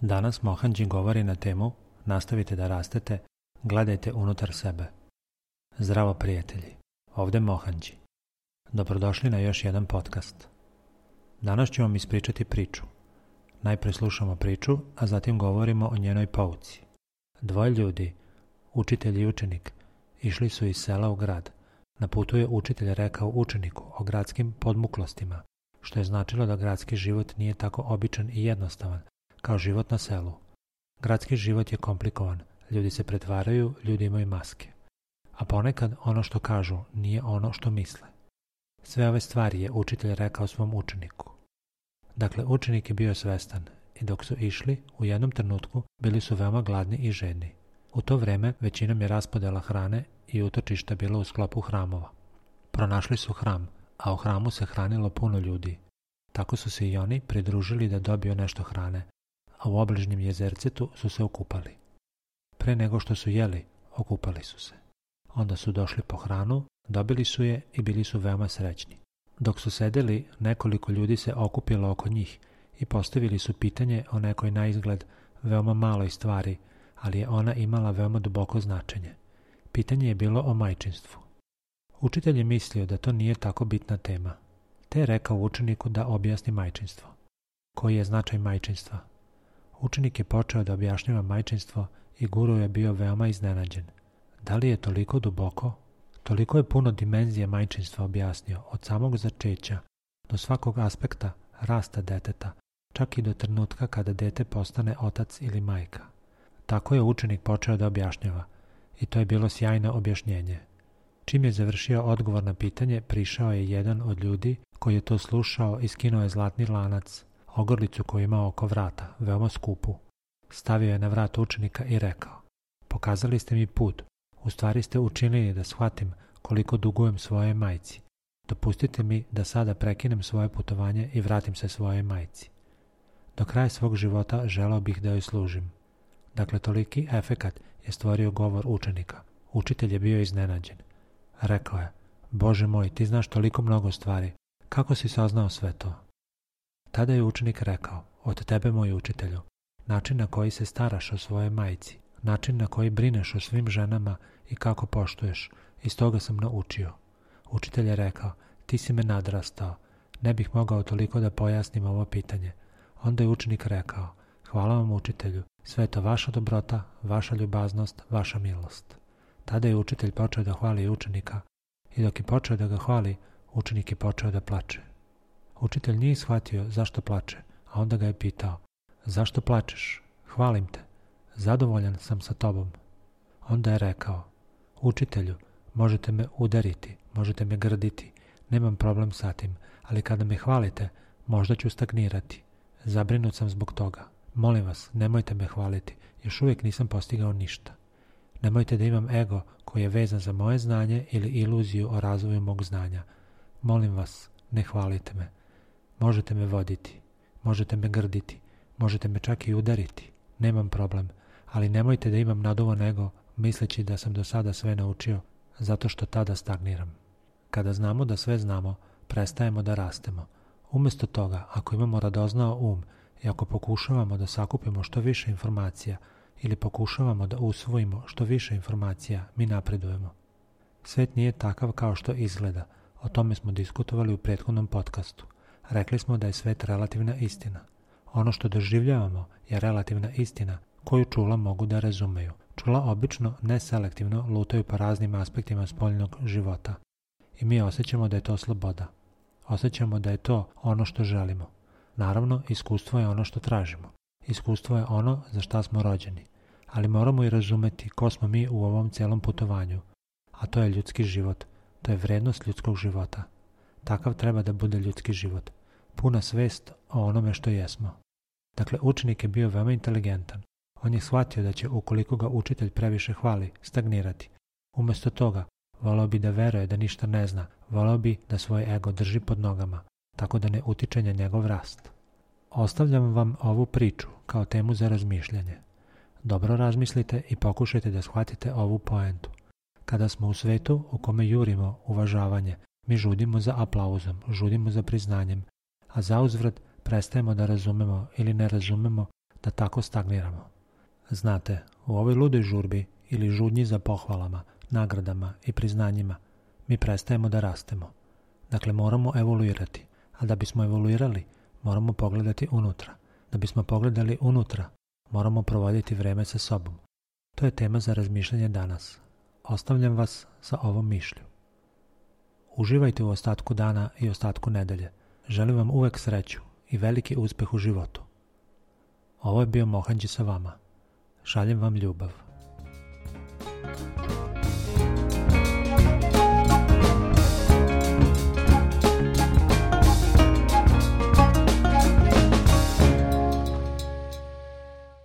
Danas Mohanđi govori na temu Nastavite da rastete, gledajte unutar sebe. Zdravo prijatelji, ovde Mohanđi. Dobrodošli na još jedan podcast. Danas ću vam ispričati priču. Najpre slušamo priču, a zatim govorimo o njenoj pouci. Dvoje ljudi, učitelj i učenik, išli su iz sela u grad. Na putu je učitelj rekao učeniku o gradskim podmuklostima, što je značilo da gradski život nije tako običan i jednostavan kao život na selu. Gradski život je komplikovan, ljudi se pretvaraju, ljudi imaju maske. A ponekad ono što kažu nije ono što misle. Sve ove stvari je učitelj rekao svom učeniku. Dakle, učenik je bio svestan i dok su išli, u jednom trenutku bili su veoma gladni i žedni. U to vreme većinom je raspodela hrane i utočišta bilo u sklopu hramova. Pronašli su hram, a u hramu se hranilo puno ljudi. Tako su se i oni pridružili da dobiju nešto hrane, a u obližnjem jezercetu su se okupali. Pre nego što su jeli, okupali su se. Onda su došli po hranu, dobili su je i bili su veoma srećni. Dok su sedeli, nekoliko ljudi se okupilo oko njih i postavili su pitanje o nekoj naizgled veoma maloj stvari, ali je ona imala veoma duboko značenje. Pitanje je bilo o majčinstvu. Učitelj je mislio da to nije tako bitna tema, te je rekao učeniku da objasni majčinstvo. Koji je značaj majčinstva? Učenik je počeo da objašnjava majčinstvo i guru je bio veoma iznenađen. Da li je toliko duboko? Toliko je puno dimenzija majčinstva objasnio, od samog začeća do svakog aspekta rasta deteta, čak i do trenutka kada dete postane otac ili majka. Tako je učenik počeo da objašnjava i to je bilo sjajno objašnjenje. Čim je završio odgovor na pitanje, prišao je jedan od ljudi koji je to slušao i skinuo je zlatni lanac, ogrlicu koju imao oko vrata, veoma skupu. Stavio je na vrat učenika i rekao: "Pokazali ste mi put, u stvari ste učinili da shvatim koliko dugujem svojoj majci. Dopustite mi da sada prekinem svoje putovanje i vratim se svojoj majci. Do kraja svog života želeo bih da joj služim." Dakle, toliki efekat je stvorio govor učenika. Učitelj je bio iznenađen. Rekao je: "Bože moj, ti znaš toliko mnogo stvari. Kako si saznao sve to?" Tada je učenik rekao: "Od tebe, moj učitelju, način na koji se staraš o svojoj majci, način na koji brineš o svim ženama i kako poštuješ, iz toga sam naučio." Učitelj je rekao: "Ti si me nadrastao, ne bih mogao toliko da pojasnim ovo pitanje." Onda je učenik rekao: "Hvala vam, učitelju, sve je to vaša dobrota, vaša ljubaznost, vaša milost." Tada je učitelj počeo da hvali učenika i dok je počeo da ga hvali, učenik je počeo da plače. Učitelj nije shvatio zašto plače, a onda ga je pitao: "Zašto plačeš? Hvalim te. Zadovoljan sam sa tobom." Onda je rekao: "Učitelju, možete me udariti, možete me grditi, nemam problem sa tim, ali kada me hvalite, možda ću stagnirati. Zabrinut sam zbog toga. Molim vas, nemojte me hvaliti, još uvijek nisam postigao ništa. Nemojte da imam ego koji je vezan za moje znanje ili iluziju o razvoju mog znanja. Molim vas, ne hvalite me. Možete me voditi, možete me grditi, možete me čak i udariti, nemam problem, ali nemojte da imam naduvan ego misleći da sam do sada sve naučio, zato što tada stagniram." Kada znamo da sve znamo, prestajemo da rastemo. Umjesto toga, ako imamo radoznao um i ako pokušavamo da sakupimo što više informacija ili pokušavamo da usvojimo što više informacija, mi napredujemo. Svet nije takav kao što izgleda, o tome smo diskutovali u prethodnom podcastu. Rekli smo da je svet relativna istina. Ono što doživljavamo je relativna istina koju čula mogu da razumeju. Čula obično neselektivno lutaju po raznim aspektima spoljnog života. I mi osjećamo da je to sloboda. Osjećamo da je to ono što želimo. Naravno, iskustvo je ono što tražimo. Iskustvo je ono za šta smo rođeni. Ali moramo i razumeti ko smo mi u ovom cijelom putovanju. A to je ljudski život. To je vrednost ljudskog života. Takav treba da bude ljudski život. Puna svest o onome što jesmo. Dakle, učenik je bio veoma inteligentan. On je shvatio da će, ukoliko ga učitelj previše hvali, stagnirati. Umjesto toga, voleo bi da veruje da ništa ne zna, voleo bi da svoj ego drži pod nogama, tako da ne utiče na njegov rast. Ostavljam vam ovu priču kao temu za razmišljanje. Dobro razmislite i pokušajte da shvatite ovu poentu. Kada smo u svetu u kome jurimo uvažavanje, mi žudimo za aplauzom, žudimo za priznanjem, a zauzvrat prestajemo da razumemo ili ne razumemo da tako stagniramo. Znate, u ovoj ludoj žurbi ili žudnji za pohvalama, nagradama i priznanjima mi prestajemo da rastemo. Dakle, moramo evoluirati, a da bismo evoluirali, moramo pogledati unutra. Da bismo pogledali unutra, moramo provoditi vreme sa sobom. To je tema za razmišljanje danas. Ostavljam vas sa ovom mišlju. Uživajte u ostatku dana i ostatku nedelje. Želim vam uvek sreću i veliki uspeh u životu. Ovo je bio Mohanđi sa vama. Šaljem vam ljubav.